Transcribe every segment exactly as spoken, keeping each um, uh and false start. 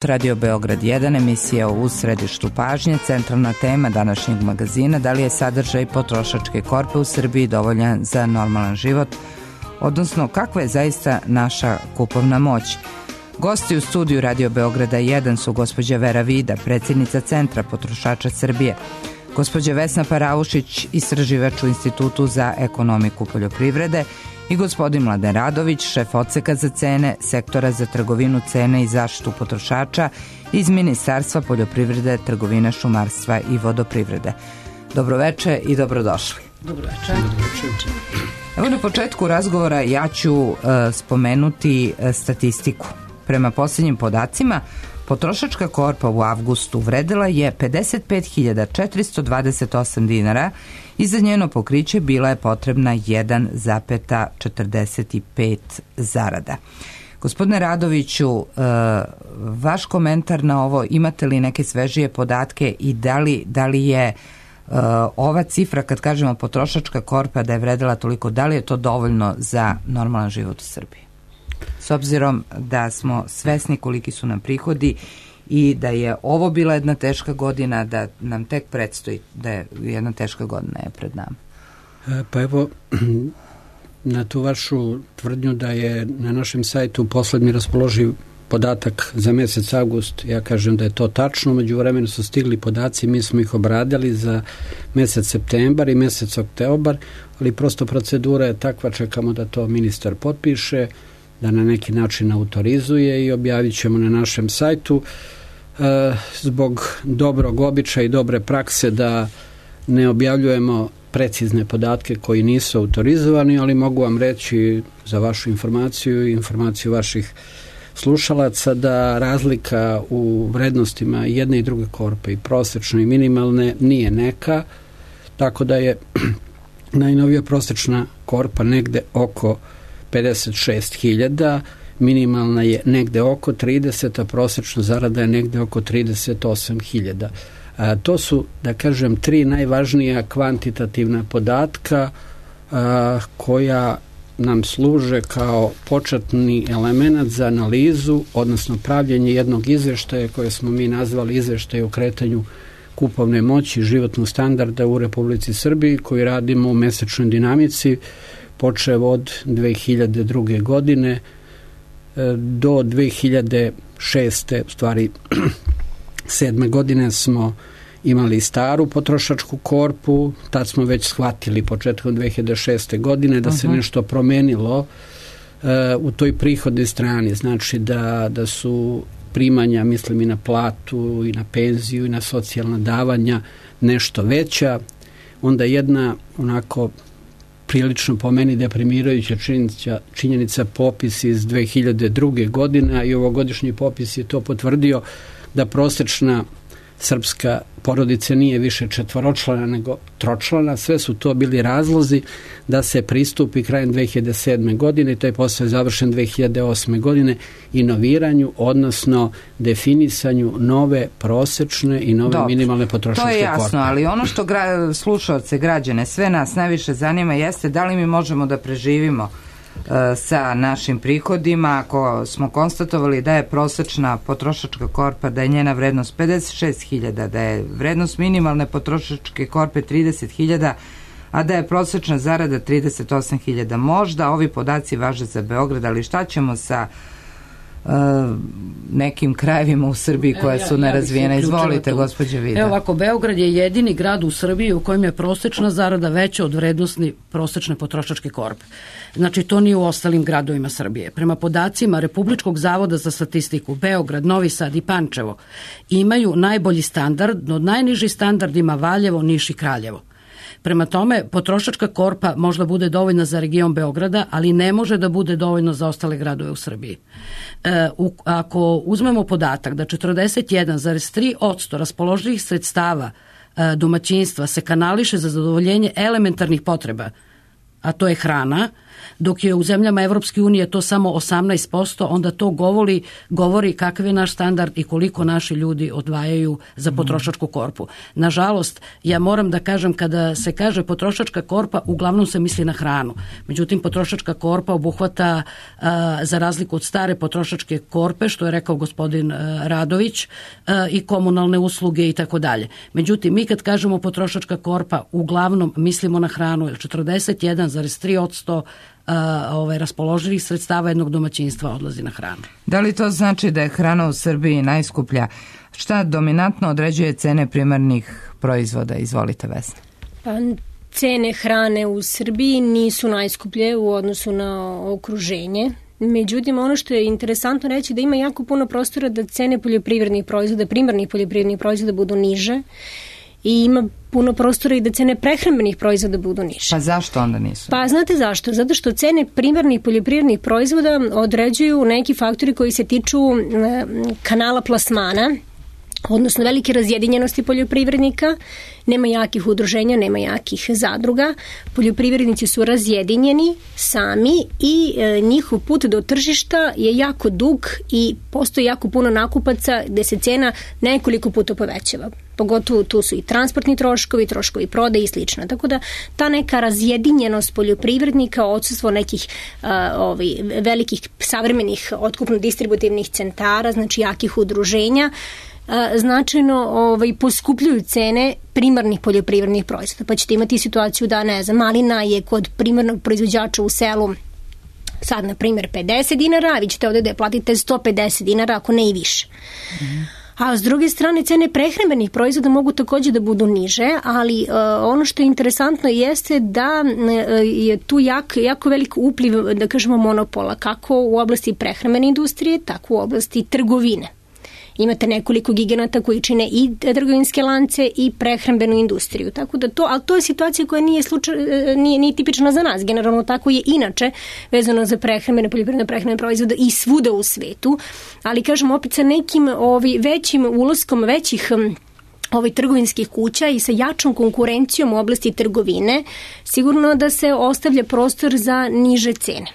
Radio Beograd jedan, emisija u središtu pažnje. Centralna tema današnjeg magazina: da li je sadržaj potrošačke korpe u Srbiji dovoljan za normalan život, odnosno kakva je zaista naša kupovna moć. Gosti u studiju Radio Beograda jedan su gospođa Vera Vida, predsjednica Centra potrošača Srbije, gospođa Vesna Paraušić, istraživač u Institutu za ekonomiku poljoprivrede, i gospodin Mladen Radović, šef odseka za cene, sektora za trgovinu, cene i zaštitu potrošača iz Ministarstva poljoprivrede, trgovine, šumarstva i vodoprivrede. Dobroveče i dobrodošli. Dobroveče. Evo, na početku razgovora ja ću uh, spomenuti uh, statistiku. Prema posljednjim podacima, potrošačka korpa u avgustu vredela je pedeset pet hiljada četiristo dvadeset osam dinara i za njeno pokriće bila je potrebna jedan zarez četrdeset pet zarada. Gospodine Radoviću, vaš komentar na ovo, imate li neke svežije podatke i da li, da li je ova cifra, kad kažemo potrošačka korpa da je vredela toliko, da li je to dovoljno za normalan život u Srbiji? S obzirom da smo svesni koliki su nam prihodi i da je ovo bila jedna teška godina, da nam tek predstoji da je jedna teška godina je pred nama. Pa evo, na tu vašu tvrdnju da je na našem sajtu poslednji raspoloživ podatak za mesec avgust, ja kažem da je to tačno. Među vremenu su stigli podaci, mi smo ih obradili za mesec septembar i mesec oktobar, ali prosto procedura je takva, čekamo da to ministar potpiše, da na neki način autorizuje i objavit ćemo na našem sajtu. E, zbog dobrog običaja i dobre prakse da ne objavljujemo precizne podatke koji nisu autorizovani, ali mogu vam reći za vašu informaciju i informaciju vaših slušalaca da razlika u vrednostima jedne i druge korpe, i prosečne i minimalne, nije neka, tako da je najnovija prosečna korpa negde oko pedeset šest hiljada, minimalna je negde oko trideset, a prosečna zarada je negde oko trideset osam hiljada. To su, da kažem, tri najvažnija kvantitativna podatka a, koja nam služe kao početni element za analizu, odnosno pravljenje jednog izveštaja koje smo mi nazvali izveštaj o kretanju kupovne moći životnog standarda u Republici Srbiji, koji radimo u mesečnoj dinamici, počev od dve hiljade druge godine do dve hiljade šeste, u stvari sedme godine smo imali staru potrošačku korpu, tad smo već shvatili početkom dve hiljade šeste godine da se uh-huh. nešto promenilo uh, u toj prihodnoj strani, znači da, da su primanja, mislim i na platu i na penziju i na socijalna davanja nešto veća. Onda jedna onako prilično po meni deprimirajuća činjenica, činjenica popis iz dve hiljade druge godine, i ovogodišnji popis je to potvrdio, da prosečna srpska porodica nije više četvoročlana nego tročlana. Sve su to bili razlozi da se pristupi krajem dve hiljade sedme godine, i to je posao završen dve hiljade osme godine, inoviranju, odnosno definisanju nove prosečne i nove Dobro, minimalne potrošačke korpe. To je jasno, korpe. Ali ono što gra, slušalce, građane, sve nas najviše zanima jeste da li mi možemo da preživimo uh, sa našim prihodima. Ako smo konstatovali da je prosečna potrošačka korpa, da je njena vrednost pedeset šest hiljada, da je vrednost minimalne potrošačke korpe trideset hiljada, a da je prosečna zarada trideset osam hiljada. Možda ovi podaci važe za Beograd, ali šta ćemo sa uh, nekim krajevima u Srbiji koja su nerazvijena? Izvolite, gospođa Vida. Evo ovako, Beograd je jedini grad u Srbiji u kojem je prosečna zarada veća od vrednosti prosečne potrošačke korpe. Znači, to nije u ostalim gradovima Srbije. Prema podacima Republičkog zavoda za statistiku, Beograd, Novi Sad i Pančevo imaju najbolji standard, no najniži standard ima Valjevo, Niš i Kraljevo. Prema tome, potrošačka korpa možda bude dovoljna za region Beograda, ali ne može da bude dovoljno za ostale gradove u Srbiji. E, u, ako uzmemo podatak da četrdeset jedan zarez tri posto raspoloživih sredstava e, domaćinstva se kanališe za zadovoljenje elementarnih potreba, a to je hrana, Dok je u zemljama Evropske unije to samo osamnaest posto, onda to govori, govori kakav je naš standard i koliko naši ljudi odvajaju za potrošačku korpu. Nažalost, ja moram da kažem, kada se kaže potrošačka korpa, uglavnom se misli na hranu. Međutim, potrošačka korpa obuhvata, a, za razliku od stare potrošačke korpe, što je rekao gospodin a, Radović, a, i komunalne usluge i tako dalje. Međutim, mi kad kažemo potrošačka korpa, uglavnom mislimo na hranu, jer četrdeset jedan zarez tri posto ovaj, raspoloživih sredstava jednog domaćinstva odlazi na hranu. Da li to znači da je hrana u Srbiji najskuplja? Šta dominantno određuje cene primarnih proizvoda? Izvolite, Vesna. Pa, cene hrane u Srbiji nisu najskuplje u odnosu na okruženje. Međutim, ono što je interesantno reći da ima jako puno prostora da cene poljoprivrednih proizvoda, primarnih poljoprivrednih proizvoda budu niže i ima puno prostora i da cene prehrambenih proizvoda budu niže. Pa zašto onda nisu? Pa znate zašto? Zato što cene primarnih poljoprivrednih proizvoda određuju neki faktori koji se tiču kanala plasmana, odnosno velike razjedinjenosti poljoprivrednika, nema jakih udruženja, nema jakih zadruga, poljoprivrednici su razjedinjeni sami i e, njihov put do tržišta je jako dug i postoji jako puno nakupaca gde se cena nekoliko puta povećava. Pogotovo tu su i transportni troškovi, troškovi prodaje i slično. Tako da ta neka razjedinjenost poljoprivrednika, odsustvo nekih a, ovaj, velikih savremenih otkupno-distributivnih centara, znači jakih udruženja, značajno ovaj, poskupljuju cene primarnih poljoprivrednih proizvoda. Pa ćete imati situaciju da, ne znam, malina je kod primarnog proizvođača u selu sad, na primjer, pedeset dinara, a vi ćete ovdje da je platite sto pedeset dinara, ako ne i više. Mm. A s druge strane, cene prehrambenih proizvoda mogu također da budu niže, ali uh, ono što je interesantno jeste da uh, je tu jak, jako velik upliv, da kažemo, monopola, kako u oblasti prehrambene industrije, tako u oblasti trgovine. Imate nekoliko giganata koji čine i trgovinske lance i prehrambenu industriju. Tako da to, ali to je situacija koja nije, slučaj, nije, nije tipična za nas. Generalno tako je inače vezano za prehrambene, poljoprivredne prehrambene proizvode i svuda u svetu. Ali kažem opet sa nekim ovi, većim ulaskom većih ovih trgovinskih kuća i sa jačom konkurencijom u oblasti trgovine, sigurno da se ostavlja prostor za niže cene.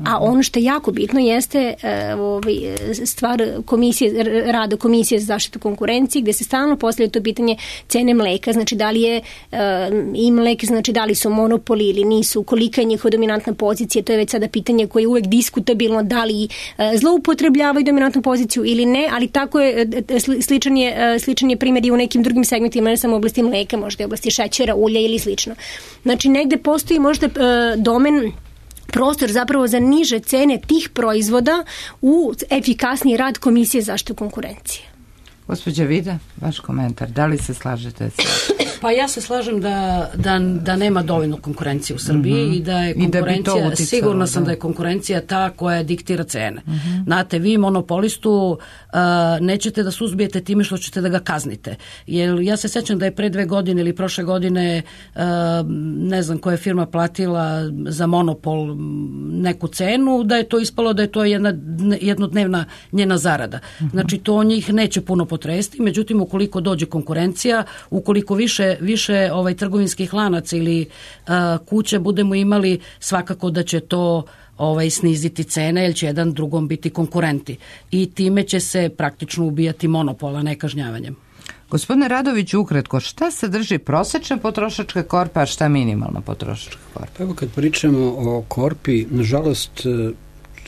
A ono što je jako bitno jeste stvar komisije, rada Komisije za zaštitu konkurencije, gde se stalno postavlja to pitanje cene mleka, znači da li je i mlek, znači da li su monopoli ili nisu, kolika je njihova dominantna pozicija, to je već sada pitanje koje je uvek diskutabilno, da li zloupotrebljavaju dominantnu poziciju ili ne, ali tako je, sličan je, sličan je primjer i u nekim drugim segmentima, ne samo u oblasti mleka, možda i u oblasti šećera, ulja ili slično. Znači negde postoji možda domen, prostor zapravo za niže cene tih proizvoda u efikasniji rad Komisije za zaštitu konkurencije. Gospođa Vida, vaš komentar, da li se slažete sa... Pa ja se slažem da, da, da nema dovoljno konkurencije u Srbiji mm-hmm. i da je konkurencija, da uticalo, sigurno sam da. da je konkurencija ta koja diktira cene. Mm-hmm. Znate, vi monopolistu uh, nećete da suzbijete time što ćete da ga kaznite. Jer ja se sećam da je pre dve godine ili prošle godine uh, ne znam koja je firma platila za monopol neku cenu, da je to ispalo da je to jedna jednodnevna njena zarada. Mm-hmm. Znači, to njih neće puno potresti, međutim, ukoliko dođe konkurencija, ukoliko više više ovaj trgovinskih lanaca ili uh, kuće budemo imali, svakako da će to ovaj sniziti cene, jer će jedan drugom biti konkurenti i time će se praktično ubijati monopola nekažnjavanjem. Gospodine Radović, ukratko, šta sadrži prosečna potrošačka korpa, a šta minimalna potrošačka korpa? Evo, kad pričamo o korpi, nažalost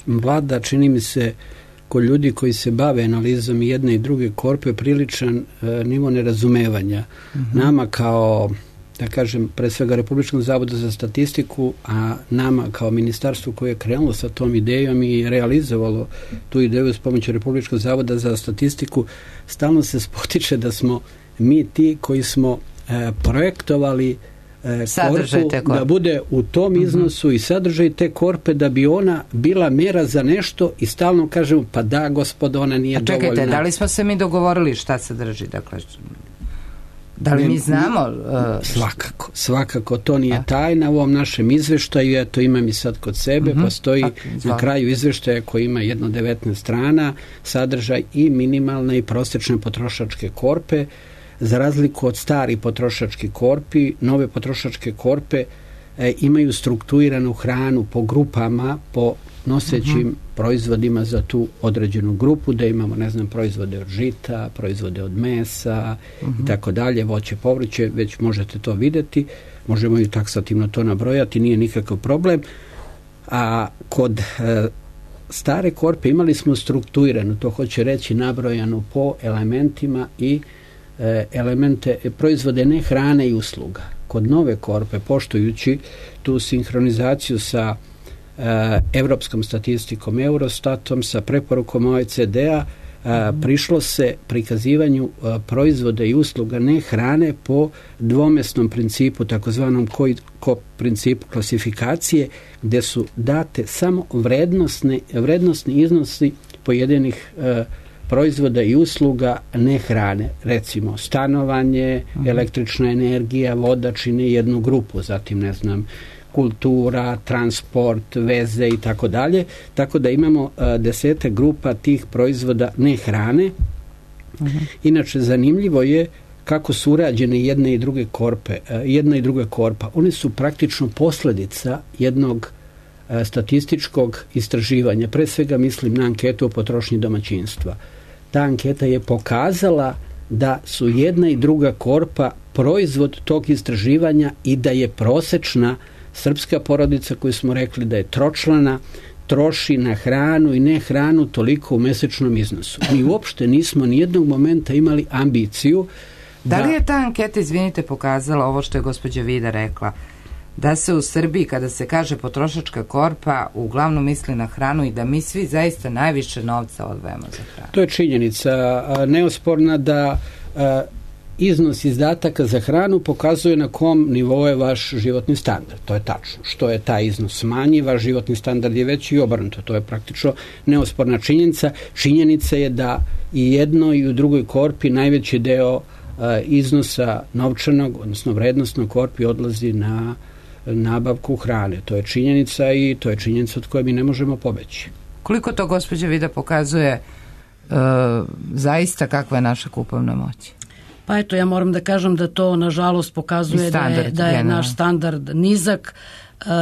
vlada, čini mi se, kod ljudi koji se bave analizom jedne i druge korpe, priličan e, nivo nerazumevanja. Mm-hmm. Nama kao, da kažem, pre svega Republičkom zavodu za statistiku, a nama kao ministarstvu koje je krenulo sa tom idejom i realizovalo tu ideju s pomoću Republičkog zavoda za statistiku, stalno se spotiče da smo mi ti koji smo e, projektovali korpu da bude u tom iznosu mm-hmm. i sadržaj te korpe da bi ona bila mjera za nešto i stalno kažemo pa da gospodo ona nije dovoljna. A čekajte, dovoljna. Da li smo se mi dogovorili šta sadrži? Dakle, da li mi znamo? Uh, svakako, svakako to nije a? tajna u ovom našem izveštaju, ja to imam i sad kod sebe, mm-hmm. postoji a, na kraju izveštaja koji ima jedno devetnaest strana, sadržaj i minimalne i prosječne potrošačke korpe. Za razliku od stari potrošački korpi, nove potrošačke korpe e, imaju strukturiranu hranu po grupama, po nosećim uh-huh. proizvodima za tu određenu grupu, da imamo, ne znam, proizvode od žita, proizvode od mesa uh-huh. i tako dalje, voće, povrće, već možete to videti, možemo i taksativno to nabrojati, nije nikakav problem. A kod e, stare korpe imali smo strukturiranu, to hoće reći nabrojanu po elementima i e, elemente, proizvode ne hrane i usluga. Kod nove korpe, poštujući tu sinhronizaciju sa e, evropskom statistikom Eurostatom, sa preporukom O E C D-a, a, prišlo se prikazivanju a, proizvoda i usluga ne hrane po dvomesnom principu, takozvanom koji ko principu klasifikacije, gde su date samo vrednosne, vrednosni iznosi pojedinih a, proizvoda i usluga ne hrane. Recimo, stanovanje, električna energija, voda čine jednu grupu, zatim, ne znam, kultura, transport, veze i tako dalje. Tako da imamo a, desete grupa tih proizvoda ne hrane. Uh-huh. Inače, zanimljivo je kako su urađene jedne i druge korpe, a, jedna i druga korpa. One su praktično posledica jednog a, statističkog istraživanja. Pre svega mislim na anketu o potrošnji domaćinstva. Ta anketa je pokazala da su jedna i druga korpa proizvod tog istraživanja i da je prosečna srpska porodica, koju smo rekli da je tročlana, troši na hranu i ne hranu toliko u mesečnom iznosu. Mi uopšte nismo nijednog momenta imali ambiciju da... Da li je ta anketa, izvinite, pokazala ovo što je gospođa Vida rekla, da se u Srbiji, kada se kaže potrošačka korpa, uglavnom misli na hranu i da mi svi zaista najviše novca odvajamo za hranu? To je činjenica neosporna da iznos izdataka za hranu pokazuje na kom nivou je vaš životni standard. To je tačno. Što je taj iznos manji, vaš životni standard je veći i obrnuto. To je praktično neosporna činjenica. Činjenica je da i jedno i u drugoj korpi najveći deo uh, iznosa novčanog, odnosno vrednostnog korpi odlazi na nabavku hrane. To je činjenica i to je činjenica od koje mi ne možemo pobeći. Koliko to, gospođa Vida, pokazuje uh, zaista kakva je naša kupovna moć? Pa eto, ja moram da kažem da to nažalost pokazuje da je, da je naš standard nizak.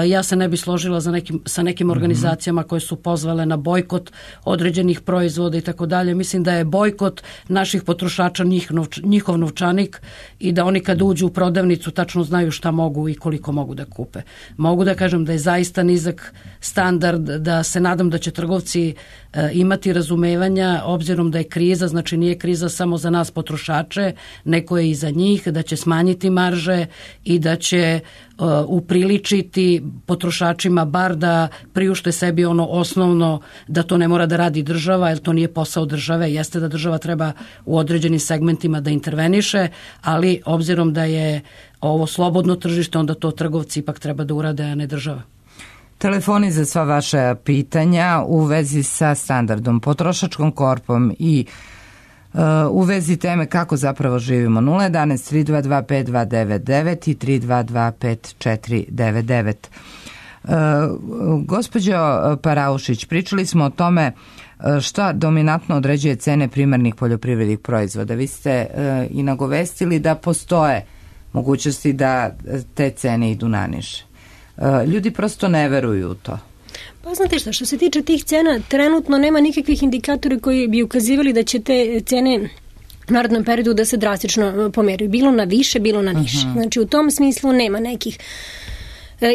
Ja se ne bi složila za nekim, sa nekim organizacijama koje su pozvale na bojkot određenih proizvoda i tako dalje. Mislim da je bojkot naših potrošača njih, novč, njihov novčanik i da oni kad uđu u prodavnicu tačno znaju šta mogu i koliko mogu da kupe. Mogu da kažem da je zaista nizak standard, da se nadam da će trgovci e, imati razumevanja obzirom da je kriza, znači nije kriza samo za nas potrošače, neko je i za njih, da će smanjiti marže i da će uh, upriličiti potrošačima bar da priušte sebi ono osnovno, da to ne mora da radi država, jer to nije posao države. Jeste da država treba u određenim segmentima da interveniše, ali obzirom da je ovo slobodno tržište, onda to trgovci ipak treba da urade, a ne država. Telefoni za sva vaša pitanja u vezi sa standardom, potrošačkom korpom i Uh, u vezi teme kako zapravo živimo. Nula jedanaest tri dva dva pet dva devet devet i tri dva dva pet četiri devet devet. Uh, gospođo Paraušić, pričali smo o tome šta dominantno određuje cene primarnih poljoprivrednih proizvoda. Vi ste uh, i nagovestili da postoje mogućnosti da te cene idu naniže. Uh, ljudi prosto ne veruju u to. Pa znate šta, što se tiče tih cena, trenutno nema nikakvih indikatora koji bi ukazivali da će te cene u narednom periodu da se drastično pomeraju. Bilo na više, bilo na niže. Uh-huh. Znači u tom smislu nema nekih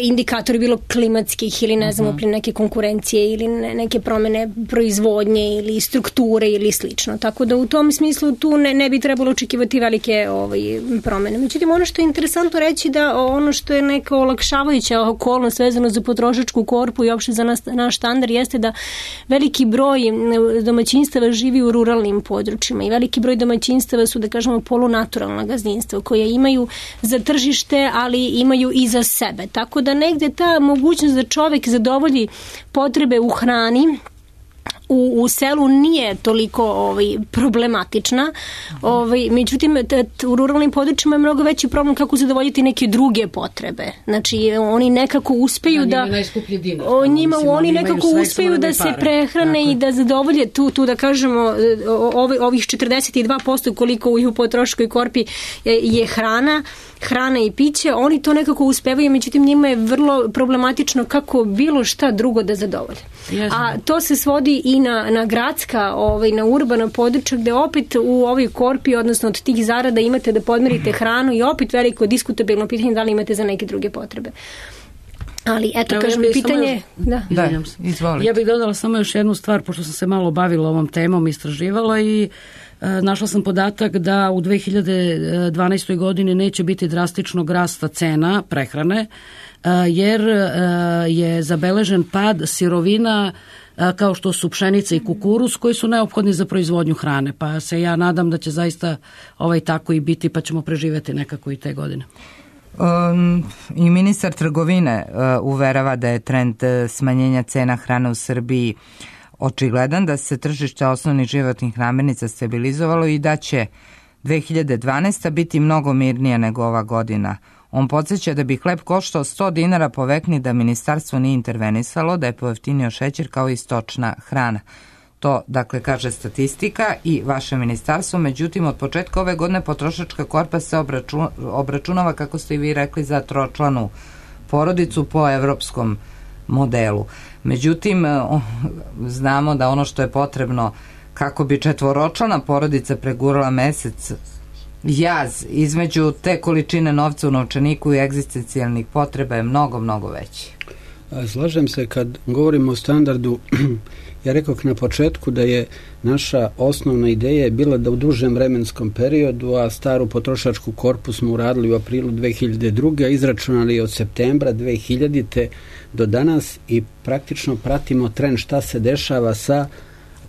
indikatori, bilo klimatskih ili ne znam, uh-huh. neke konkurencije ili ne, neke promene proizvodnje ili strukture ili slično. Tako da u tom smislu tu ne, ne bi trebalo očekivati velike ovaj, promene. Međutim, ono što je interesantno reći da ono što je neka olakšavajuća okolnost vezano za potrošačku korpu i uopšte za nas, naš standard jeste da veliki broj domaćinstava živi u ruralnim područjima i veliki broj domaćinstava su, da kažemo, polunaturalna gazdinstva koja imaju za tržište, ali imaju i za sebe. Tako Tako da negde ta mogućnost da čovek zadovolji potrebe u hrani u, u selu nije toliko ovaj, problematična. Ovaj, međutim, t, t, u ruralnim područjima je mnogo veći problem kako zadovoljiti neke druge potrebe. Znači, oni nekako uspeju da... Dinar, o njima mislim, oni nekako uspeju da se prehrane tako. I da zadovolje tu, tu da kažemo, ovi, ovih četrdeset dva posto koliko u potroškoj korpi je, je hrana, hrana i piće, oni to nekako uspevaju, međutim njima je vrlo problematično kako bilo šta drugo da zadovolje. Jasne. A to se svodi i na, na gradska, ovaj, na urbana područja gde opet u ovoj korpi, odnosno od tih zarada imate da podmirite hranu i opet veliko diskutabilno pitanje da li imate za neke druge potrebe. Ali eto, kažem, ja pitanje... Da, da izvolite. Ja bih dodala samo još jednu stvar, pošto sam se malo bavila ovom temom, istraživala i e, našla sam podatak da u dve hiljade dvanaestoj godini neće biti drastičnog rasta cena prehrane, e, jer e, je zabeležen pad sirovina e, kao što su pšenica i kukuruz koji su neophodni za proizvodnju hrane, pa se ja nadam da će zaista ovaj tako i biti, pa ćemo preživeti nekako i te godine. Um, I ministar trgovine uh, uverava da je trend smanjenja cena hrane u Srbiji očigledan, da se tržište osnovnih životnih namirnica stabilizovalo i da će dve hiljade dvanaesta. biti mnogo mirnija nego ova godina. On podsjeća da bi hleb koštao sto dinara po vekni da ministarstvo nije intervenisalo, da je pojeftinio šećer kao i stočna hrana. To, dakle, kaže statistika i vaše ministarstvo, međutim, od početka ove godine potrošačka korpa se obračun, obračunava, kako ste i vi rekli, za tročlanu porodicu po evropskom modelu. Međutim, znamo da ono što je potrebno kako bi četvoročlana porodica pregurala mesec, jaz između te količine novca u novčaniku i egzistencijalnih potreba je mnogo, mnogo veći. Slažem se kad govorimo o standardu. Ja rekao na početku da je naša osnovna ideja bila da u dužem vremenskom periodu, a staru potrošačku korpu smo uradili u aprilu dve hiljade druge. a izračunali od septembra dve hiljadite. do danas i praktično pratimo trend šta se dešava sa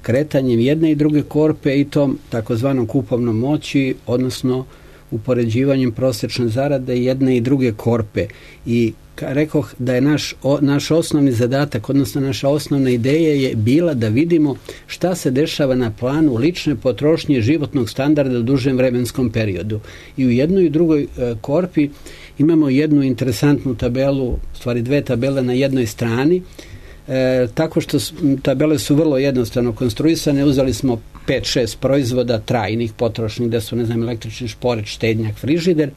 kretanjem jedne i druge korpe i tom takozvanom kupovnom moći, odnosno upoređivanjem prosječne zarade jedne i druge korpe. I rekoh da je naš, o, naš osnovni zadatak, odnosno naša osnovna ideja je bila da vidimo šta se dešava na planu lične potrošnje životnog standarda u dužem vremenskom periodu. I u jednoj i drugoj e, korpi imamo jednu interesantnu tabelu, stvari dve tabele na jednoj strani, e, tako što tabele su vrlo jednostavno konstruisane. Uzeli smo pet šest proizvoda trajnih, potrošnih, da su, ne znam, električni šporet, štednjak, frižider,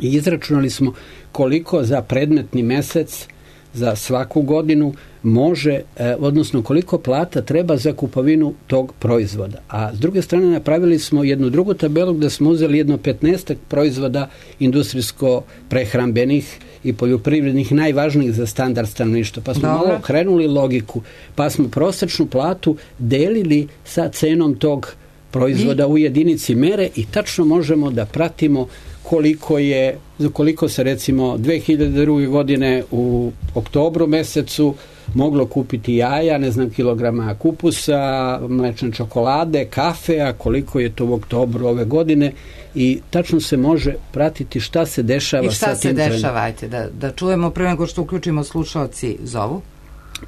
i izračunali smo koliko za predmetni mesec za svaku godinu može, eh, odnosno koliko plata treba za kupovinu tog proizvoda. A s druge strane napravili smo jednu drugu tabelu gde smo uzeli jedno petnaestak proizvoda industrijsko-prehrambenih i poljoprivrednih najvažnijih za standard stanovništva. Pa smo Dobre. malo okrenuli logiku, pa smo prosečnu platu delili sa cenom tog proizvoda I? u jedinici mere i tačno možemo da pratimo koliko je, koliko se recimo dve hiljade druge. godine u oktobru mesecu moglo kupiti jaja, ne znam, kilograma kupusa, mlečne čokolade, kafe, a koliko je to u oktobru ove godine i tačno se može pratiti šta se dešava sa tim. I šta se dešava, ajte, da, da čujemo prije nego što uključimo slušaoci zovu.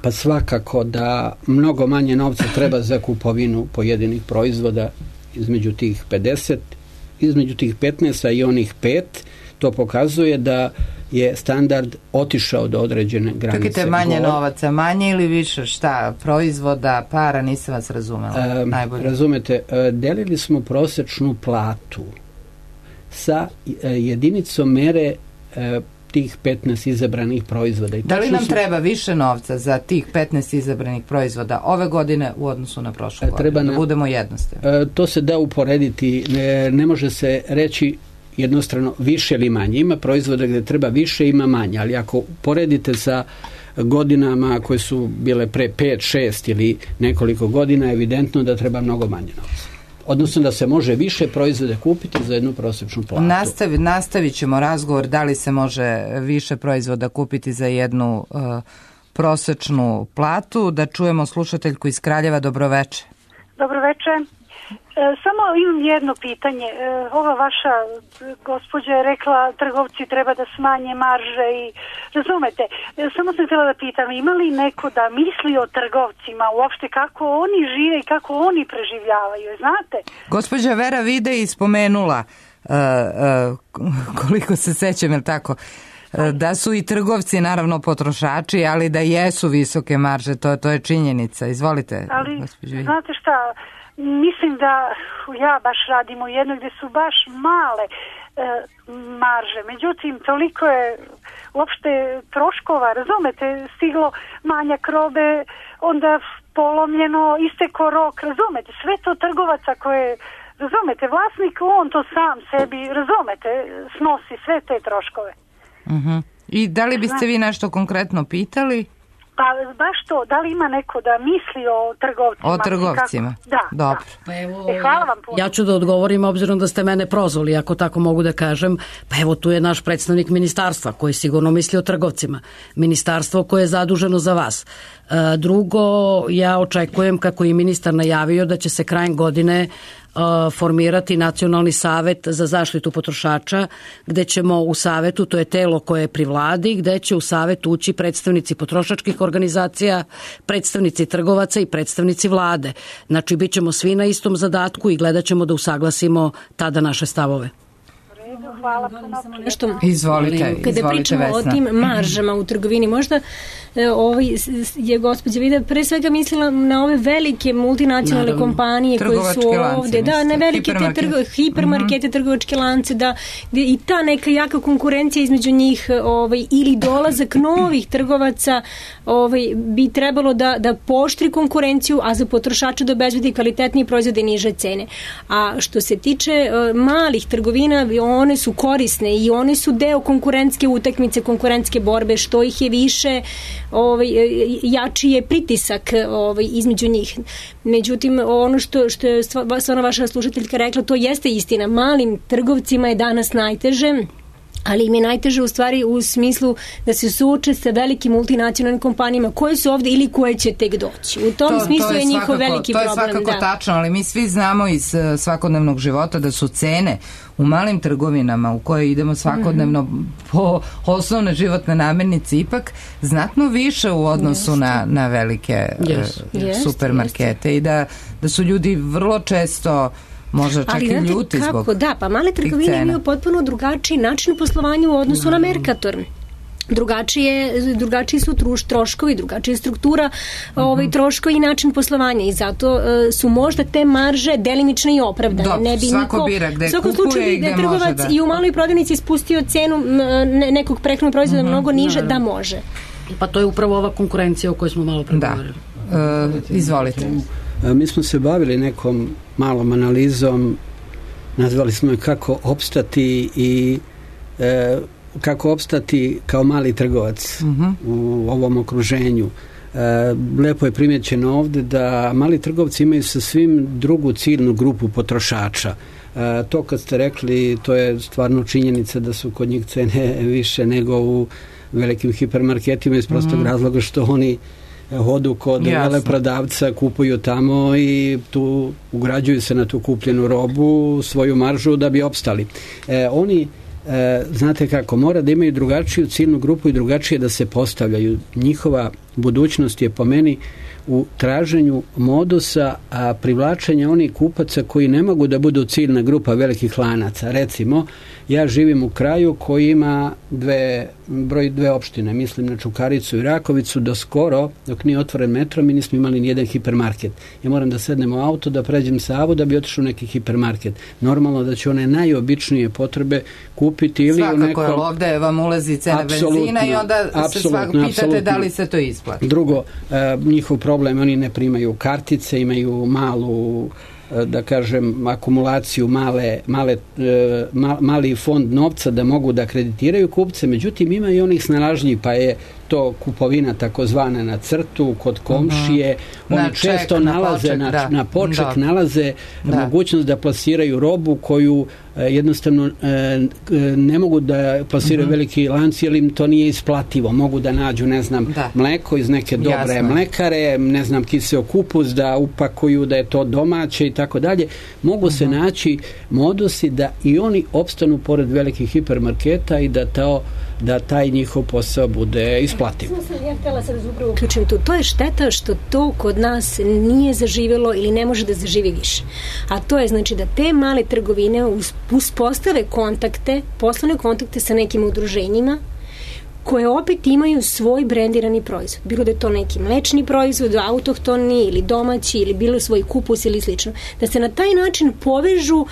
Pa svakako da mnogo manje novca treba za kupovinu pojedinih proizvoda između tih pedeset, između tih petnaest i onih pet, to pokazuje da je standard otišao do određene granice. Čekajte, manje Govor... novaca, manje ili više, šta, proizvoda, para, nisam vas razumela. E, najbolje. Razumete, delili smo prosečnu platu sa jedinicom mere tih petnaest izabranih proizvoda. I da li nam su... treba više novca za tih petnaest izabranih proizvoda ove godine u odnosu na prošlu godinu? Treba da budemo jednostavni. To se da uporediti, ne, ne može se reći jednostrano više ili manje. Ima proizvoda gde treba više, ima manje, ali ako poredite sa godinama koje su bile pre pet, šest ili nekoliko godina, evidentno da treba mnogo manje novca. Odnosno da se može više proizvode kupiti za jednu prosječnu platu. Nastavi, nastavit ćemo razgovor da li se može više proizvoda kupiti za jednu uh, prosječnu platu. Da čujemo slušateljku iz Kraljeva. Dobroveče. Dobroveče. Samo imam jedno pitanje. Ova vaša gospođa je rekla trgovci treba da smanje marže i razumete. Samo sam htjela da pitam, ima li neko da misli o trgovcima uopšte kako oni žive i kako oni preživljavaju, znate? Gospođa Vera Vide je spomenula uh, uh, koliko se sećam, je tako, da su i trgovci naravno potrošači, ali da jesu visoke marže, to, to je činjenica. Izvolite. Ali, znate šta, mislim da ja baš radim u jednoj gdje su baš male e, marže. Međutim, toliko je uopšte troškova, razumete, stiglo manjak robe, onda polomljeno, isteko rok, razumete, sve to trgovaca koje, razumete, vlasnik, on to sam sebi, razumete, snosi sve te troškove. Uh-huh. I da li biste vi nešto konkretno pitali? Pa baš to, da li ima neko da misli o trgovcima? O trgovcima, kako? Da, dobro. Da. Pa evo, e, hvala vam puno. Ja ću da odgovorim, obzirom da ste mene prozvali, ako tako mogu da kažem. Pa evo, tu je naš predstavnik ministarstva koji sigurno misli o trgovcima. Ministarstvo koje je zaduženo za vas. E, drugo, ja očekujem, kako je ministar najavio, da će se krajem godine formirati Nacionalni savet za zaštitu potrošača, gde ćemo u savetu, to je telo koje je pri vladi, gde će u savet ući predstavnici potrošačkih organizacija, predstavnici trgovaca i predstavnici vlade. Znači, bit ćemo svi na istom zadatku i gledat ćemo da usaglasimo tada naše stavove. Hvala puno. Nešto, izvolite, kada izvolite, pričamo Vesna. o tim maržama u trgovini, možda ovaj, je gospođa Vida pre svega mislila na ove velike multinacionalne Naravno. kompanije koje su ovde, da, na velike te trgo, hipermarkete, mm-hmm. trgovačke lance, da, i ta neka jaka konkurencija između njih, ovaj, ili dolazak novih trgovaca, ovaj, bi trebalo da, da poštri konkurenciju, a za potrošača da obezbedi kvalitetnije proizvode i niže cene. A što se tiče uh, malih trgovina, one su korisne i one su deo konkurentske utakmice, konkurentske borbe, što ih je više, ovaj, jači je pritisak ovaj, između njih. Međutim, ono što, što je stvarno vaša slušateljka rekla, to jeste istina. Malim trgovcima je danas najteže, ali im je najteže u stvari u smislu da se suoče sa velikim multinacionalnim kompanijama koje su ovde ili koje će tek doći. U tom to, smislu to je, je njihov svakako, veliki problem. To je svakako da. tačno, ali mi svi znamo iz svakodnevnog života da su cene u malim trgovinama u koje idemo svakodnevno mm-hmm. po osnovne životne namirnice ipak znatno više u odnosu na, na velike yes. uh, supermarkete yes. i da, da su ljudi vrlo često možda čak ali, i ljuti kako, zbog da, pa male trgovine imaju potpuno drugačiji način poslovanja u odnosu mm. na Mercator. Drugačije, drugačiji su truš, troškovi, drugačija struktura mm-hmm. ovaj, troškovi i način poslovanja i zato uh, su možda te marže delimične i opravdane. Dobro, ne bi svako niko, bira gde kupuje slučaju, i gde trgovac može da... i u maloj prodavnici spustio cenu ne, nekog prehrambenog proizvoda mm-hmm. mnogo niže, da može. Pa to je upravo ova konkurencija o kojoj smo malo pregovorili. Da. Uh, izvolite. Mi smo se bavili nekom malom analizom, nazvali smo je kako opstati i e, kako opstati kao mali trgovac uh-huh. u ovom okruženju. E, lepo je primjećeno ovde da mali trgovci imaju sa svim drugu ciljnu grupu potrošača. E, to kad ste rekli, to je stvarno činjenica da su kod njih cene više nego u velikim hipermarketima iz prostog uh-huh. razloga što oni hodu kod veleprodavca, kupuju tamo i tu ugrađuju se na tu kupljenu robu svoju maržu da bi opstali. E, oni, e, znate kako, mora da imaju drugačiju ciljnu grupu i drugačije da se postavljaju. Njihova budućnost je po meni u traženju modusa, a privlačenja onih kupaca koji ne mogu da budu ciljna grupa velikih lanaca. Recimo, ja živim u kraju koji ima dve, broj dve opštine, mislim na Čukaricu i Rakovicu, do skoro, dok nije otvoren metro, mi nismo imali nijedan hipermarket. Ja moram da sednem u auto, da pređem Savu da bi otišao u neki hipermarket. Normalno da će one najobičnije potrebe kupiti ili svakako, u nekom... Svakako, ovde vam ulazi cena benzina i onda se svakako pitate apsolutno. Da li se to isplati. Drugo, e, njihov problem, oni ne primaju kartice, imaju malu, da kažem, akumulaciju, male, male, ma, mali fond novca da mogu da kreditiraju kupce, međutim ima i onih snalažljivih, pa je to kupovina takozvana na crtu, kod komšije, uh-huh. oni na često ček, nalaze na poček, na, da. na poček da. nalaze da. mogućnost da plasiraju robu koju e, jednostavno e, ne mogu da plasiraju uh-huh. veliki lanci, jer im to nije isplativo. Mogu da nađu, ne znam, da. mleko iz neke dobre Jasno. mlekare, ne znam, kiseo kupus, da upakuju da je to domaće i tako dalje. Mogu uh-huh. se naći modusi da i oni opstanu pored velikih hipermarketa i da to da taj njihov posao bude isplativ. Ja htjela sad upravo uključim tu. To je šteta što to kod nas nije zaživjelo ili ne može da zaživi više. A to je znači da te male trgovine uspostave kontakte, poslovne kontakte sa nekim udruženjima koje opet imaju svoj brendirani proizvod. Bilo da je to neki mlečni proizvod, autohtoni ili domaći ili bilo svoj kupus ili slično. Da se na taj način povežu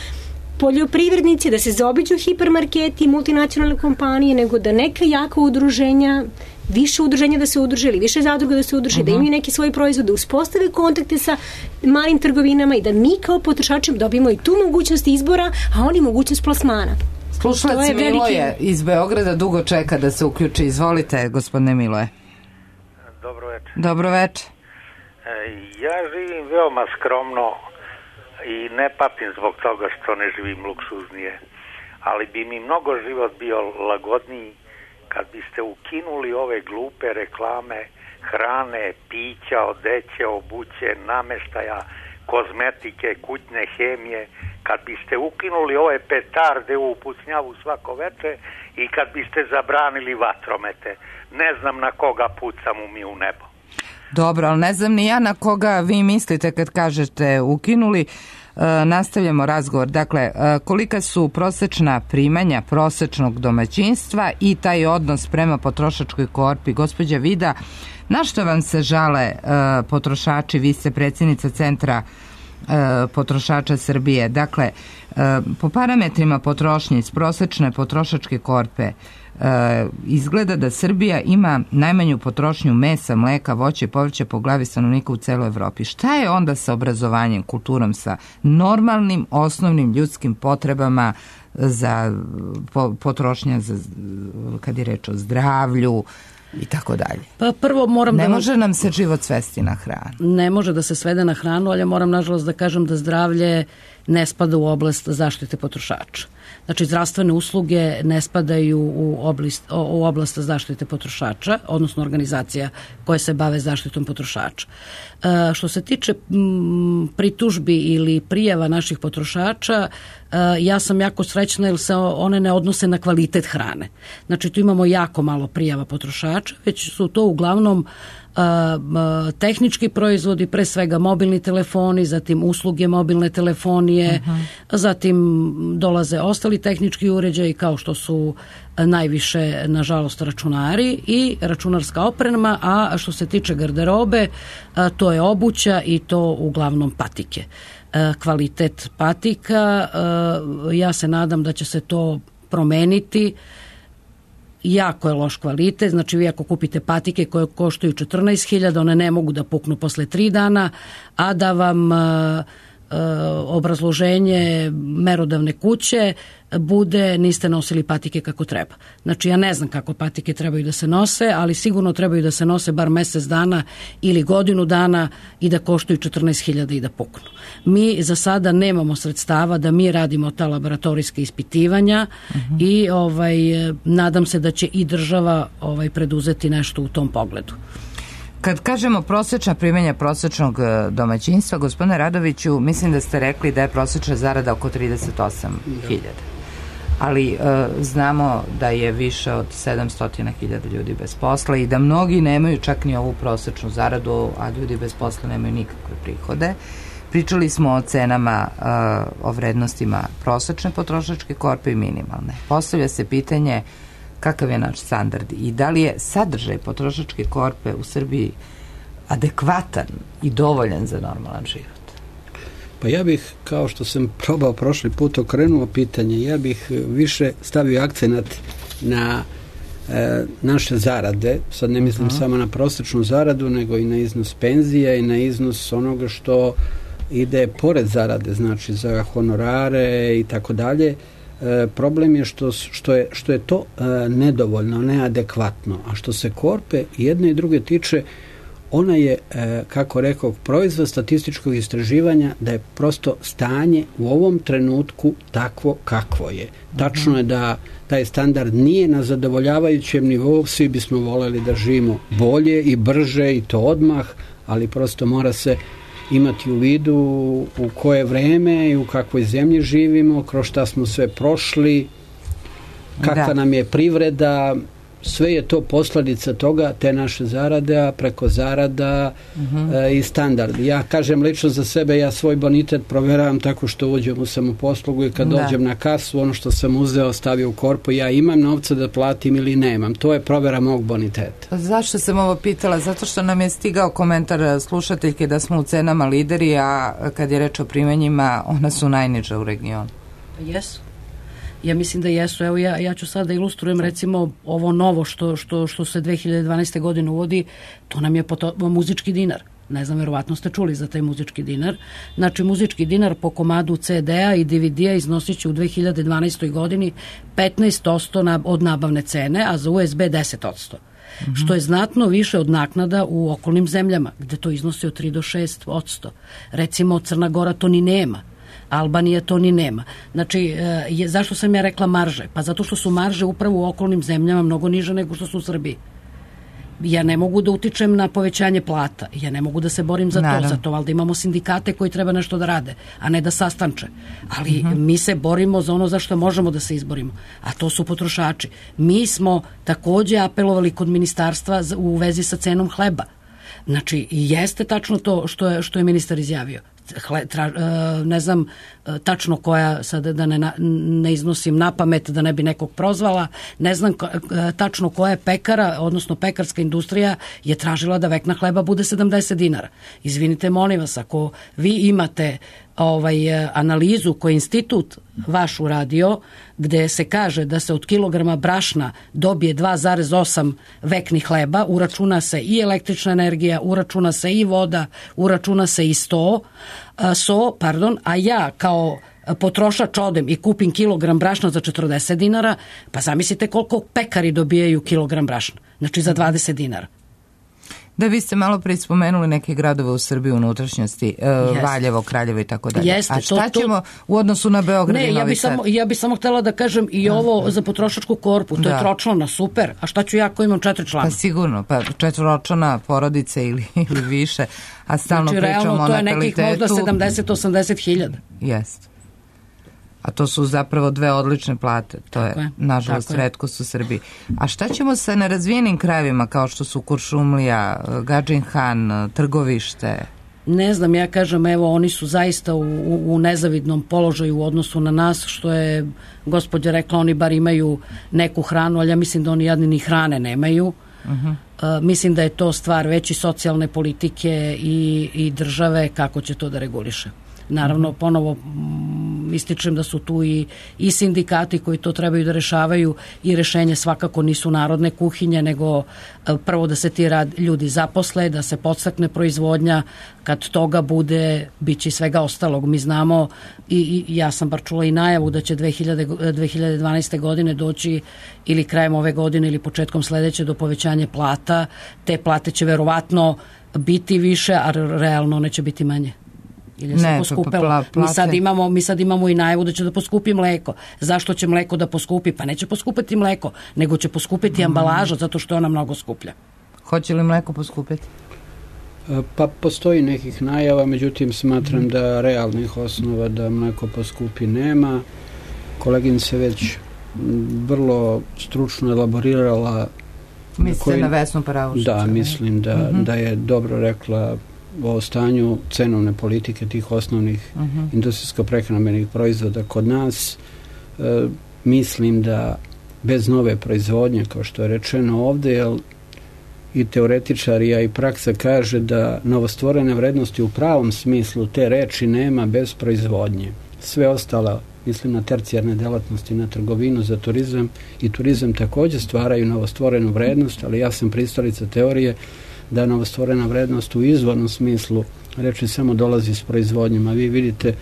poljoprivrednici, da se zaobiđu hipermarketi, multinacionalne kompanije, nego da neka jaka udruženja, više udruženja da se udruže ili više zadruga da se udruže, uh-huh. da imaju neki svoj proizvod, da uspostave kontakte sa malim trgovinama i da mi kao potrošači dobijemo i tu mogućnost izbora, a oni mogućnost plasmana. Slušalac Miloje iz Beograda dugo čeka da se uključi. Izvolite, gospodine Miloje. Dobro večer. Dobro večer. Ja živim veoma skromno i ne patim zbog toga što ne živim luksuznije, ali bi mi mnogo život bio lagodniji kad biste ukinuli ove glupe reklame hrane, pića, odeće, obuće, nameštaja, kozmetike, kućne hemije, kad biste ukinuli ove petarde u pucnjavu svako veče i kad biste zabranili vatromete. Ne znam na koga pucamo mi u nebo. Dobro, ali ne znam ni ja na koga vi mislite kad kažete ukinuli. E, nastavljamo razgovor. Dakle, e, kolika su prosečna primanja prosečnog domaćinstva i taj odnos prema potrošačkoj korpi? Gospođa Vida, na što vam se žale e, potrošači? Vi ste predsjednica Centra e, potrošača Srbije. Dakle, e, po parametrima potrošnje iz prosečne potrošačke korpe E, izgleda da Srbija ima najmanju potrošnju mesa, mleka, voća i povrća po glavi stanovnika u celoj Evropi. Šta je onda sa obrazovanjem, kulturom, sa normalnim, osnovnim ljudskim potrebama za po, potrošnja, za, kad je reč o zdravlju i tako dalje? Pa prvo moram ne da... može nam se život svesti na hranu. Ne može da se svede na hranu, ali ja moram nažalost da kažem da zdravlje ne spada u oblast zaštite potrošača. Znači, zdravstvene usluge ne spadaju u oblast, u oblast zaštite potrošača, odnosno organizacija koje se bave zaštitom potrošača. E, što se tiče m, pritužbi ili prijava naših potrošača, e, ja sam jako srećna jer se one ne odnose na kvalitet hrane. Znači, tu imamo jako malo prijava potrošača, već su to uglavnom tehnički proizvodi, pre svega mobilni telefoni, zatim usluge mobilne telefonije, uh-huh. zatim dolaze ostali tehnički uređaji kao što su najviše, nažalost, računari i računarska oprema, a što se tiče garderobe, to je obuća i to uglavnom patike. Kvalitet patika, ja se nadam da će se to promeniti. Jako je loš kvalitet, znači vi ako kupite patike koje koštaju četrnaest hiljada, one ne mogu da puknu posle tri dana, a da vam e, obrazloženje merodavne kuće bude niste nosili patike kako treba. Znači ja ne znam kako patike trebaju da se nose, ali sigurno trebaju da se nose bar mesec dana ili godinu dana i da koštaju četrnaest hiljada i da puknu. Mi za sada nemamo sredstava da mi radimo ta laboratorijska ispitivanja uh-huh. i ovaj, nadam se da će i država ovaj, preduzeti nešto u tom pogledu. Kad kažemo prosečna primanja prosečnog domaćinstva, gospodine Radoviću, mislim da ste rekli da je prosečna zarada oko trideset osam hiljada. Ali e, znamo da je više od sedamsto hiljada ljudi bez posla i da mnogi nemaju čak ni ovu prosečnu zaradu, a ljudi bez posla nemaju nikakve prihode. Pričali smo o cenama, e, o vrednostima prosečne potrošačke korpe i minimalne. Postavlja se pitanje kakav je naš standard i da li je sadržaj potrošačke korpe u Srbiji adekvatan i dovoljan za normalan život? Pa ja bih, kao što sam probao prošli put, okrenuo pitanje, ja bih više stavio akcenat na e, naše zarade, sad ne mislim uh-huh. samo na prosječnu zaradu, nego i na iznos penzija i na iznos onoga što ide pored zarade, znači za honorare i tako dalje. E, problem je što, što je što je to e, nedovoljno, neadekvatno. A što se korpe jedne i druge tiče, ona je, e, kako rekao, proizvod statističkog istraživanja da je prosto stanje u ovom trenutku takvo kakvo je. Tačno je da taj standard nije na zadovoljavajućem nivou, svi bismo voljeli da živimo bolje i brže i to odmah, ali prosto mora se imati u vidu u koje vreme i u kakvoj zemlji živimo, kroz šta smo sve prošli, kakva da. nam je privreda, sve je to posljedica toga, te naše zarade, a preko zarada uh-huh. e, i standard. Ja kažem lično za sebe, ja svoj bonitet proveravam tako što uđem u samoposlugu i kad da. dođem na kasu, ono što sam uzeo stavio u korpu, ja imam novca da platim ili nemam. To je provera mog boniteta. Zašto sam ovo pitala? Zato što nam je stigao komentar slušateljke da smo u cenama lideri, a kad je reč o primanjima, ona su najniža u regionu. Jesu. Ja mislim da jesu. Evo ja, ja ću sad da ilustrujem recimo ovo novo što, što, što se dve hiljade dvanaeste. godine uvodi, to nam je poto, muzički dinar. Ne znam, verovatno ste čuli za taj muzički dinar. Znači, muzički dinar po komadu ce de-a i de ve de-a iznosit će u dve hiljade dvanaestoj. godini petnaest posto na, od nabavne cene, a za u es be deset posto. Mm-hmm. Što je znatno više od naknada u okolnim zemljama, gde to iznosi od tri do šest posto. Recimo, Crna Gora to ni nema. Albanija to ni nema. Znači, je, zašto sam ja rekla marže? Pa zato što su marže upravo u okolnim zemljama mnogo niže nego što su u Srbiji. Ja ne mogu da utičem na povećanje plata. Ja ne mogu da se borim za Naravno. to. Zato valjda imamo sindikate koji treba nešto da rade, a ne da sastanče. Ali uh-huh. mi se borimo za ono za što možemo da se izborimo. A to su potrošači. Mi smo takođe apelovali kod ministarstva u vezi sa cenom hleba. Znači, jeste tačno to što je, što je ministar izjavio. Hle, tra, ne znam tačno koja, sad da ne, ne iznosim na pamet da ne bi nekog prozvala, ne znam tačno koja je pekara, odnosno pekarska industrija je tražila da vekna hleba bude sedamdeset dinara. Izvinite, molim vas, ako vi imate ovaj analizu koju institut vaš uradio, gde se kaže da se od kilograma brašna dobije dva zarez osam veknih hleba, uračuna se i električna energija, uračuna se i voda, uračuna se i sto, so, pardon, a ja kao potrošač odem i kupim kilogram brašna za četrdeset dinara, pa zamislite koliko pekari dobijaju kilogram brašna, znači za dvadeset dinara. Da, vi ste malo pre spomenuli neke gradove u Srbiji u unutrašnjosti, e, Valjevo, Kraljevo i tako dalje. Jeste, a šta to, ćemo u odnosu na Beograd ne, i Novi ja bi Sad? Samo, ja bi samo htjela da kažem i ovo za potrošačku korpu, to da. je tročlana, super. A šta ću ja ko imam četiri člana? Pa sigurno, pa četvoročlana porodice ili, ili više, a stalno znači, pričamo realno, o natalitetu. to je nekih možda sedamdeset do osamdeset hiljada. Jeste. A to su zapravo dve odlične plate. To je, je nažalost, retkost u Srbiji. A šta ćemo sa nerazvijenim krajevima kao što su Kuršumlija, Gadžin Han, Trgovište? Ne znam, ja kažem, evo, oni su zaista u, u nezavidnom položaju u odnosu na nas, što je gospođa rekla, oni bar imaju neku hranu, ali ja mislim da oni jadni ni hrane nemaju. Uh-huh. Uh, mislim da je to stvar veći socijalne politike i, i države kako će to da reguliše. Naravno, ponovo m, ističem da su tu i, i sindikati koji to trebaju da rešavaju i rešenje svakako nisu narodne kuhinje, nego e, prvo da se ti rad, ljudi zaposle, da se podstakne proizvodnja, kad toga bude, bit će svega ostalog. Mi znamo i, i ja sam bar čula i najavu da će dve hiljade dvanaeste. godine doći ili krajem ove godine ili početkom sledeće do povećanja plata. Te plate će verovatno biti više, a realno one će biti manje. Ili se poskupilo. Mi sad imamo, mi sad imamo i najavu da će da poskupi mleko. Zašto će mleko da poskupi? Pa neće poskupiti mleko, nego će poskupiti mm. ambalaža zato što je ona mnogo skuplja. Hoće li mleko poskupiti? Pa postoji nekih najava, međutim smatram mm. da realnih osnova da mleko poskupi nema. Koleginica već vrlo stručno elaborirala. Mislite koji... na Vesnu Paravušić? Da, mislim da, mm-hmm. da je dobro rekla o stanju cenovne politike tih osnovnih uh-huh. industrijsko-prehrambenih proizvoda kod nas. E, mislim da bez nove proizvodnje, kao što je rečeno ovde, jer i teoretičari, a i praksa kaže da novostvorene vrednosti u pravom smislu te reči nema bez proizvodnje. Sve ostalo, mislim na tercijarne delatnosti, na trgovinu, za turizam i turizam takođe stvaraju novostvorenu vrednost, ali ja sam pristalica teorije da novostvorena vrednost u izvornom smislu reči samo dolazi s proizvodnjom, a vi vidite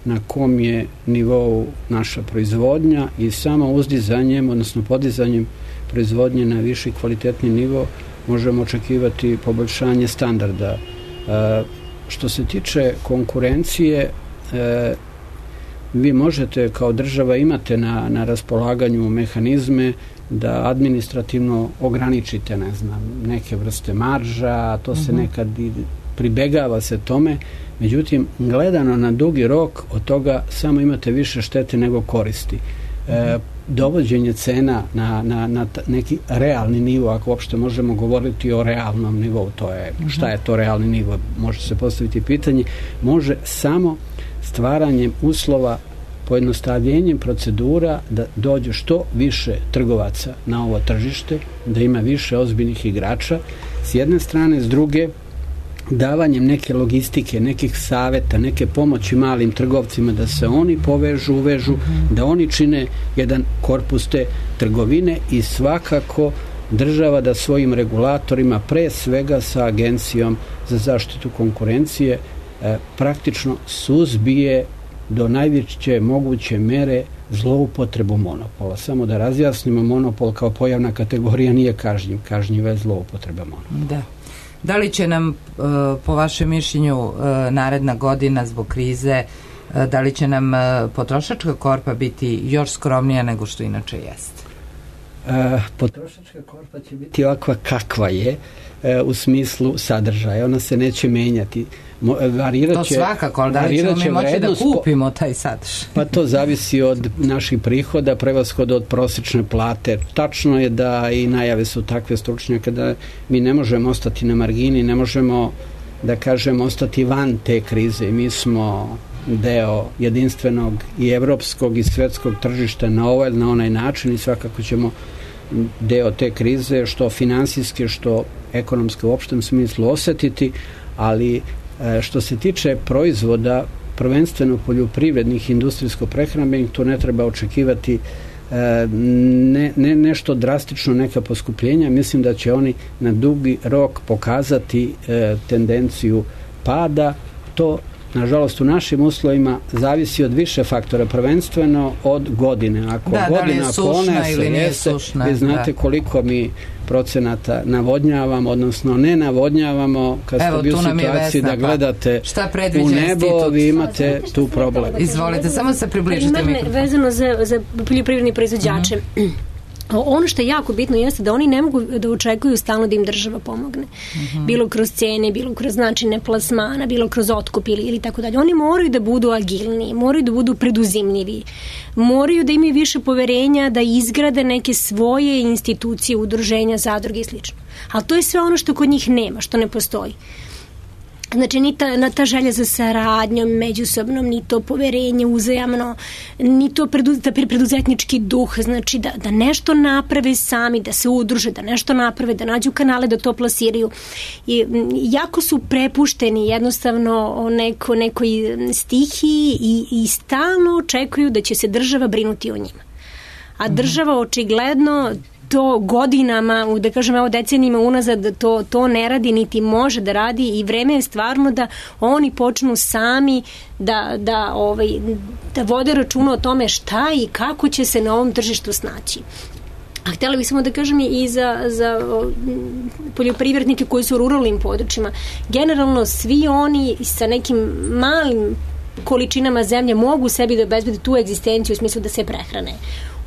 na kom je nivou naša proizvodnja i samo uzdizanjem, odnosno podizanjem proizvodnje na viši kvalitetni nivo možemo očekivati poboljšanje standarda. E, što se tiče konkurencije, e, vi možete kao država imate na, na raspolaganju mehanizme da administrativno ograničite, ne znam, neke vrste marža, to se nekad i pribegava se tome, međutim, gledano na dugi rok, od toga samo imate više štete nego koristi. E, dovođenje cena na, na, na neki realni nivo, ako uopšte možemo govoriti o realnom nivou, to je, šta je to realni nivo, može se postaviti pitanje, može samo stvaranjem uslova, pojednostavljenjem procedura da dođe što više trgovaca na ovo tržište, da ima više ozbiljnih igrača, s jedne strane, s druge, davanjem neke logistike, nekih saveta, neke pomoći malim trgovcima da se oni povežu, uvežu, da oni čine jedan korpus te trgovine i svakako država da svojim regulatorima, pre svega sa Agencijom za zaštitu konkurencije, e, praktično suzbije do najveće moguće mere zloupotrebu monopola. Samo da razjasnimo, monopol kao pojavna kategorija nije kažnjiv, kažnjiva je zloupotreba monopola. Da. Da li će nam, po vašem mišljenju, naredna godina zbog krize, da li će nam potrošačka korpa biti još skromnija nego što inače jeste? Potrošačka korpa će biti ovakva kakva je, u smislu sadržaja. Ona se neće menjati. To svakako, ali da li ćemo mi moći da kupimo taj sadržaj? Pa to zavisi od naših prihoda, prevashodno od prosječne plate. Tačno je da i najave su takve stručnjake da mi ne možemo ostati na margini, ne možemo, da kažem, ostati van te krize. Mi smo deo jedinstvenog i evropskog i svetskog tržišta na ovaj ili na onaj način i svakako ćemo deo te krize, što finansijski, što ekonomski u opštem smislu osetiti, ali što se tiče proizvoda, prvenstveno poljoprivrednih, industrijsko-prehrambenih, tu ne treba očekivati ne, ne, nešto drastično, neka poskupljenja. Mislim da će oni na dugi rok pokazati e, tendenciju pada. To, nažalost, u našim uslovima zavisi od više faktora, prvenstveno od godine. Ako da, godina da li je sušna ili nije sušna. Vi znate da. koliko mi procenata navodnjavamo, odnosno ne navodnjavamo, kad ste bili u situaciji da gledate u nebo, vi imate tu problem. Izvolite, samo se približite mikrofon. Vezano za, za poljoprivredni proizvođače. Mm-hmm. Ono što je jako bitno jeste da oni ne mogu da očekuju stalno da im država pomogne. Mm-hmm. Bilo kroz cene, bilo kroz načine plasmana, bilo kroz otkup ili, ili tako dalje. Oni moraju da budu agilniji, moraju da budu preduzimljivi, moraju da imaju više poverenja da izgrade neke svoje institucije, udruženja, zadruge i slično. Ali to je sve ono što kod njih nema, što ne postoji. Znači, ni ta, na ta želja za saradnjom međusobnom, ni to poverenje uzajamno, ni to predu, preduzetnički duh, znači da, da nešto naprave sami, da se udruže, da nešto naprave, da nađu kanale da to plasiraju. I jako su prepušteni jednostavno o neko, nekoj stihiji i, i stalno očekuju da će se država brinuti o njima. A država očigledno to godinama, da kažem, evo decenijima unazad, to, to ne radi, niti može da radi i vreme je stvarno da oni počnu sami da, da, ovaj, da vode računa o tome šta i kako će se na ovom tržištu snaći. A htjela bih samo da kažem i za, za poljoprivrednike koji su u ruralnim područjima. Generalno svi oni sa nekim malim količinama zemlje mogu sebi da obezbede tu egzistenciju u smislu da se prehrane.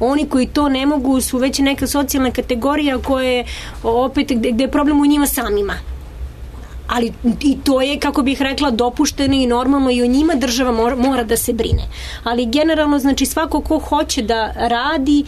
Oni koji to ne mogu su već neka socijalna kategorija koja je opet gde, gde je problem u njima samima. Ali i to je, kako bih rekla, dopušteno i normalno i o njima država mora, mora da se brine. Ali generalno, znači, svako ko hoće da radi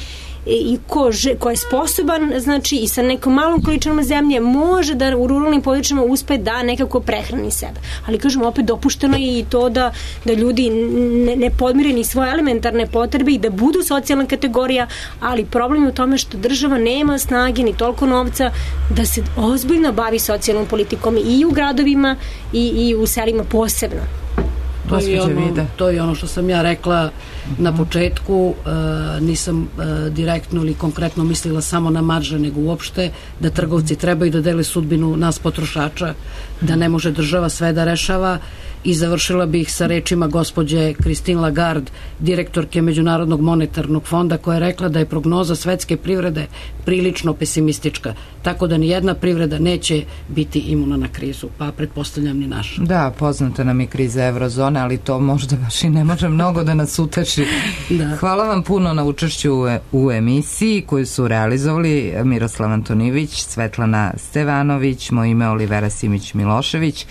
i ko, ko je sposoban, znači, i sa nekom malom količinom zemlje može da u ruralnim područjima uspe da nekako prehrani sebe. Ali, kažem, opet dopušteno je i to da, da ljudi ne, ne podmire ni svoje elementarne potrebe i da budu socijalna kategorija, ali problem je u tome što država nema snage ni toliko novca da se ozbiljno bavi socijalnom politikom i u gradovima i, i u selima posebno. To je, ono, to je ono što sam ja rekla na početku, e, nisam e, direktno ili konkretno mislila samo na marže, nego uopšte da trgovci trebaju da dele sudbinu nas potrošača, da ne može država sve da rešava I završila bih sa rečima gospođe Christine Lagarde, direktorke Međunarodnog monetarnog fonda, koja je rekla da je prognoza svetske privrede prilično pesimistička, tako da ni jedna privreda neće biti imuna na krizu, pa pretpostavljam ni naša. Da, poznata nam je kriza eurozone, ali to možda baš i ne može mnogo da nas uteši. Da. Hvala vam puno na učešću u, u emisiji koju su realizovali Miroslav Antonijević, Svetlana Stevanović, moje ime Olivera Simić Milošević.